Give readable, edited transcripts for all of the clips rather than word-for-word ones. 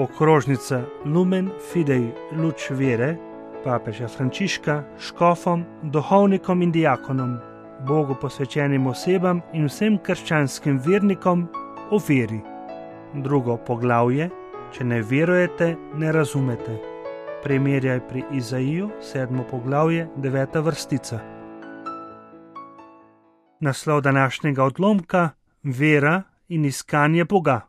Okrožnica Lumen Fidei luč vere papeža Frančiška škofom, duhovnikom in diakonom, Bogu posvečenim osebam in vsem krščanskim vernikom o veri. Drugo poglavje: če ne verujete, ne razumete. Primerjaj pri Izaiju, 7. poglavje, 9. vrstica. Naslov današnjega odlomka: vera in iskanje Boga.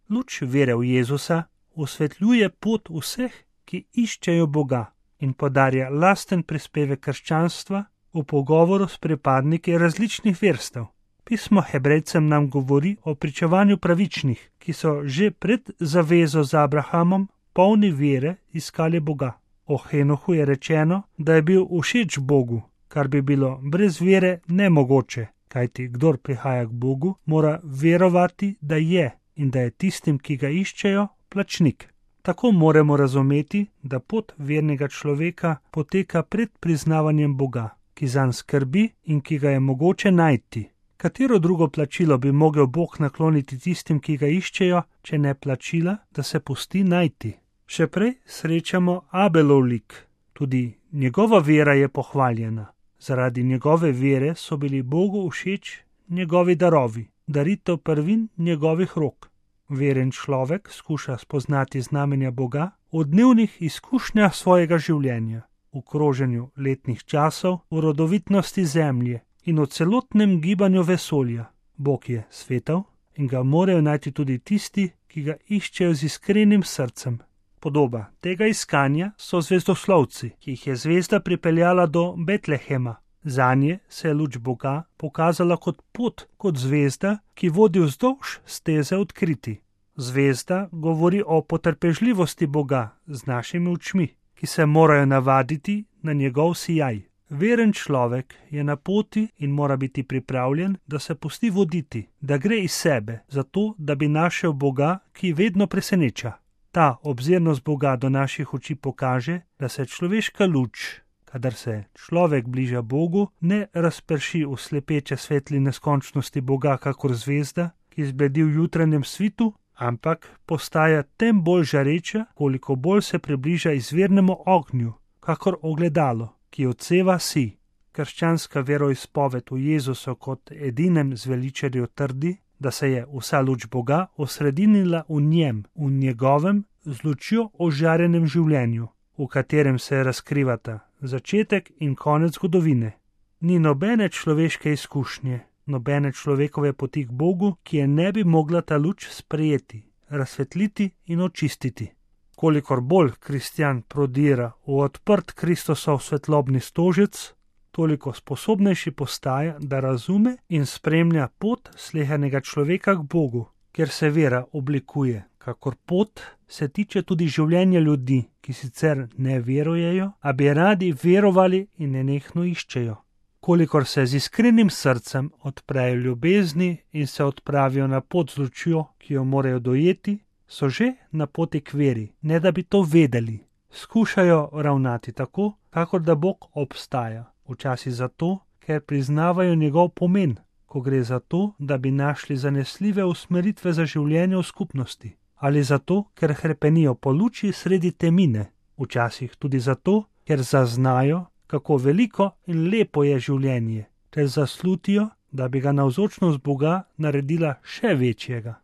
Luč vere v Jezusa osvetljuje pot vseh, ki iščejo Boga, in podarja lasten prispevek krščanstva v pogovoru s pripadniki različnih verstev. Pismo Hebrejcem nam govori o pričevanju pravičnih, ki so že pred zavezo z Abrahamom polni vere iskali Boga. O Henohu je rečeno, da je bil všeč Bogu, kar bi bilo brez vere nemogoče, kajti kdor prihaja k Bogu, mora verovati, da je in da je tistim, ki ga iščejo, plačnik. Tako moramo razumeti, da pot vernega človeka poteka pred priznavanjem Boga, ki zanj skrbi in ki ga je mogoče najti. Katero drugo plačilo bi mogel Bog nakloniti tistim, ki ga iščejo, če ne plačila, da se pusti najti? Še prej srečamo Abelov lik. Tudi njegova vera je pohvaljena. Zaradi njegove vere so bili Bogu všeč njegovi darovi, daritev prvin njegovih rok. Veren človek skuša spoznati znamenja Boga v dnevnih izkušnjah svojega življenja, v kroženju letnih časov, v rodovitnosti zemlje in v celotnem gibanju vesolja. Bog je svetel in ga morajo najti tudi tisti, ki ga iščejo z iskrenim srcem. Podoba tega iskanja so zvezdoslovci, ki jih je zvezda pripeljala do Betlehema. Zanje se je luč Boga pokazala kot pot, kot zvezda, ki vodi vzdolž steze odkriti. Zvezda govori o potrpežljivosti Boga z našimi očmi, ki se morajo navaditi na njegov sijaj. Veren človek je na poti in mora biti pripravljen, da se pusti voditi, da gre iz sebe, zato da bi našel Boga, ki vedno preseneča. Ta obzirnost Boga do naših oči pokaže, da se človeška luč, kadar se človek bliža Bogu, ne razprši v slepeče svetli neskončnosti Boga kakor zvezda, ki zbledi v jutranjem svitu, ampak postaja tem bolj žareča, koliko bolj se približa izvirnemu ognju, kakor ogledalo, ki odseva sij. Krščanska veroizpoved v Jezusu kot edinem zveličarju trdi, da se je vsa luč Boga osredinila v njem, v njegovem z lučjo ožarenem življenju, v katerem se razkrivata začetek in konec zgodovine. Ni nobene človeške izkušnje, nobene človekove poti k Bogu, ki je ne bi mogla ta luč sprejeti, razsvetliti in očistiti. Kolikor bolj kristjan prodira v odprt Kristosov svetlobni stožec, toliko sposobnejši postaja, da razume in spremlja pot slehernega človeka k Bogu, kjer se vera oblikuje, kakor pot se tiče tudi življenja ljudi, ki sicer ne verujejo, a bi radi verovali in nenehno iščejo. Kolikor se z iskrenim srcem odprejo ljubezni in se odpravijo na pot z lučjo, ki jo morajo dojeti, so že na poti k veri, ne da bi to vedeli. Skušajo ravnati tako, kakor da Bog obstaja. Včasih zato, ker priznavajo njegov pomen, ko gre za to, da bi našli zanesljive usmeritve za življenje v skupnosti. Ali zato, ker hrepenijo po luči sredi temine. Včasih tudi zato, ker zaznajo, kako veliko in lepo je življenje, ter zaslutijo, da bi ga navzočnost Boga naredila še večjega.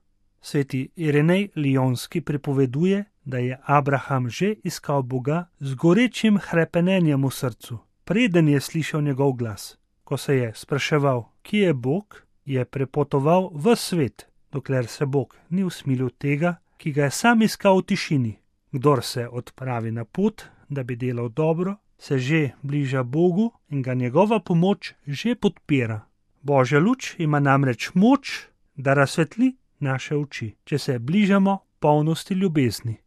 Sveti Irenej Lijonski pripoveduje, da je Abraham že iskal Boga z gorečim hrepenenjem v srcu, preden je slišal njegov glas. Ko se je spraševal, kje je Bog, je prepotoval ves svet, dokler se Bog ni usmilil tega, ki ga je sam iskal v tišini. Kdor se odpravi na pot, da bi delal dobro, se že bliža Bogu in ga njegova pomoč že podpira. Božja luč ima namreč moč, da razsvetli naše oči, če se bližamo polnosti ljubezni.